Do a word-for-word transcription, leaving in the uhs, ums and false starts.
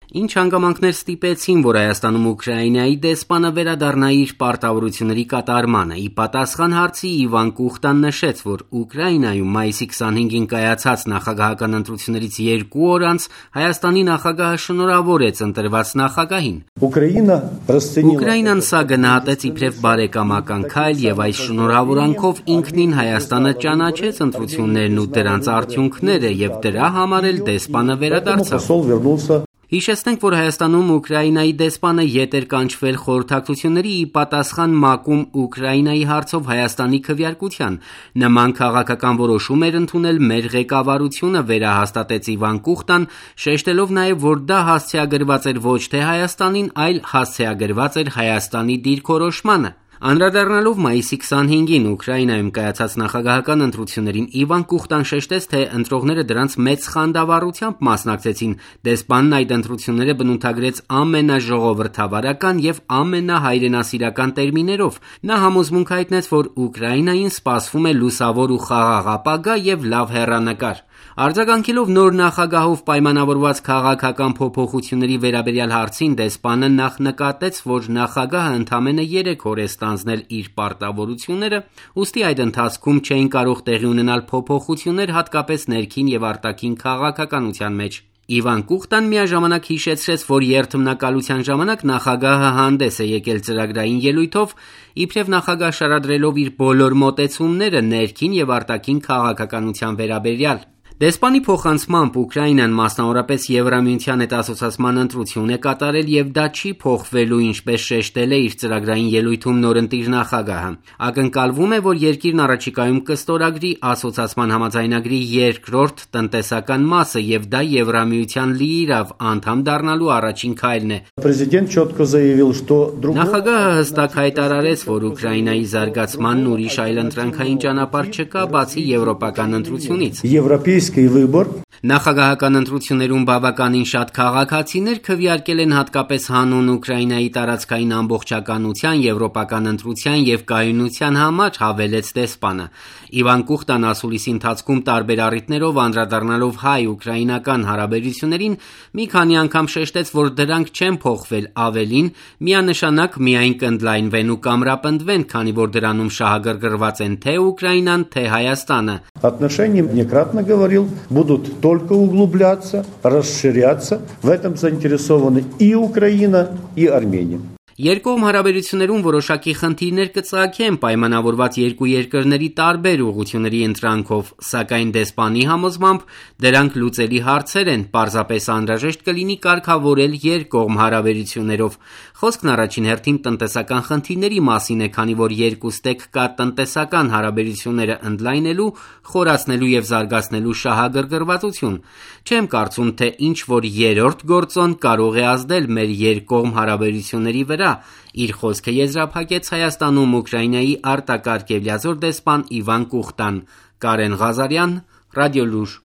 Ինչ հանգամանքներ ստիպեցին, որ Հայաստանում Ուկրաինայի դեսպանը վերադառնա իր պարտավորությունների կատարմանը։ Ի պատասխան հարցի Իվան Կուխտան նշեց, որ Ուկրաինայում մայիսի քսանհինգին կայացած նախագահական ընտրություններից երկու օր անց Հայաստանի նախագահը շնորհավորեց ընտրված նախագահին։ Ուկրաինան սա գնահատեց իբրև բարեկամական քայլ եւ այս շնորհավորանքով ինքնին Հայաստանը ճանաչեց ընտրություններն ու դրանց արդյունքները եւ դրա համար էլ դեսպանը վերադարձավ։ Հիշեցնենք, որ Հայաստանում Ուկրաինայի դեսպանը ետ էր կանչվել խորհրդակցությունների ի պատասխան ՄԱԿ-ում Ուկրաինայի հարցով Հայաստանի քվեարկության։ Նման քաղաքական որոշում էր ընդունել մեր ղեկավարությունը, վերահաստատեց Իվան Կուխտան, շեշտելով նաև, որ դա հասցեագրված էր ոչ թե Հայաստանին, այլ հասցեագրված էր Հայաստանի դիրքորոշմանը։ Անդրադառնալով մայիսի քսանհինգին Ուկրաինայում կայացած նախագահական ընտրություններին, Իվան Կուխտան շեշտեց, թե ընտրողները դրանց մեծ խանդավառությամբ մասնակցեցին։ Դեսպանն այդ ընտրությունները բնութագրեց ամենաժողովրդավարական եւ ամենահայրենասիրական տերմիներով։ Նա համոզմունք հայտնեց, որ Ուկրաինային սպասվում է լուսավոր ու խաղաղ ապագա եւ լավ հեռանկար։ Արձագանքելով նոր նախագահով պայմանավորված քաղաքական փոփոխությունների վերաբերյալ հարցին, դեսպանը նախ նկատեց, որ նախագահը ընդամենը երեք օր է ստանձնել իր պարտավորությունները, ուստի այդ ընթացքում չէին կարող տեղի ունենալ փոփոխություններ հատկապես ներքին եւ արտաքին քաղաքականության մեջ։ Իվան Կուխտան միաժամանակ հիշեցրեց, որ երթմնակալության ժամանակ նախագահը հանդես է եկել ծրագրային ելույթով, իբրև նախագահ շարադրելով իր բոլոր մոտեցումները ներքին եւ արտաքին քաղաքականության վերաբերյալ։ Դեսպանի փոխանցմամբ Ուկրաինան մասնավորապես Եվրամիության հետ ասոցացման ընտրություն է կատարել եւ դա չի փոխվելու, ինչպես շեշտել է իր ծրագրային ելույթում նորընտիր նախագահը։ Ակնկալվում է, որ երկիրն առաջիկայում կստորագրի ասոցացման համաձայնագրի երկրորդ տնտեսական մասը եւ դա Եվրամիության լիիրավ անդամ դառնալու առաջին քայլն է։ Նախագահը հստակ հայտարարեց, որ Ուկրաինայի զարգացմանն ուրիշ այլընտրանքային ճանապարհ չկա, բացի եվրոպական ընտրությունից։ Նախագահական ընտրություններում բավականին շատ քաղաքացիներ քվեարկել են հատկապես հանուն Ուկրաինայի տարածքային ամբողջականության, եվրոպական ընտրության եւ կայունության համար, հավելեց դեսպանը։ Իվան Կուխտան ասուլիսի ընթացքում տարբեր առիթներով անդրադառնալով հայ-ուկրաինական հարաբերություններին մի քանի անգամ շեշտեց, որ դրանք չեն փոխվել, ավելին միանշանակ միայն կընդլայնվեն ու կամրապնդվեն, քանի որ դրանում շահագրգռված են թե Ուկրաինան, թե Հայաստանը։ Будут только углубляться, расширяться. В этом заинтересованы и Украина, и Армения. Երկկողմ հարաբերություններում որոշակի խնդիրներ կծագեն պայմանավորված երկու երկրների տարբեր ուղղությունների ընտրանքով, սակայն դեսպանի համոզմամբ դրանք լուծելի հարցեր են, պարզապես անհրաժեշտ կլինի կարգավորել երկկողմ հարաբերություններով։ Խոսքն առաջին հերթին տնտեսական խնդիրների մասին է, քանի որ երկուստեք կա տնտեսական հարաբերությունները ընդլայնելու, խորացնելու եւ զարգացնելու շահագրգռվածություն։ Չեմ կարծում, թե ինչ որ երրորդ գործոն կարող է ազդել մեր երկկողմ հարաբերությունների վրա։ Իր խոսքը եզրափակեց Հայաստանում Ուկրաինայի արտակարգ եւ լիազոր դեսպան Իվան Կուխտան։ Կարեն Ղազարյան, Ռադիոլուր։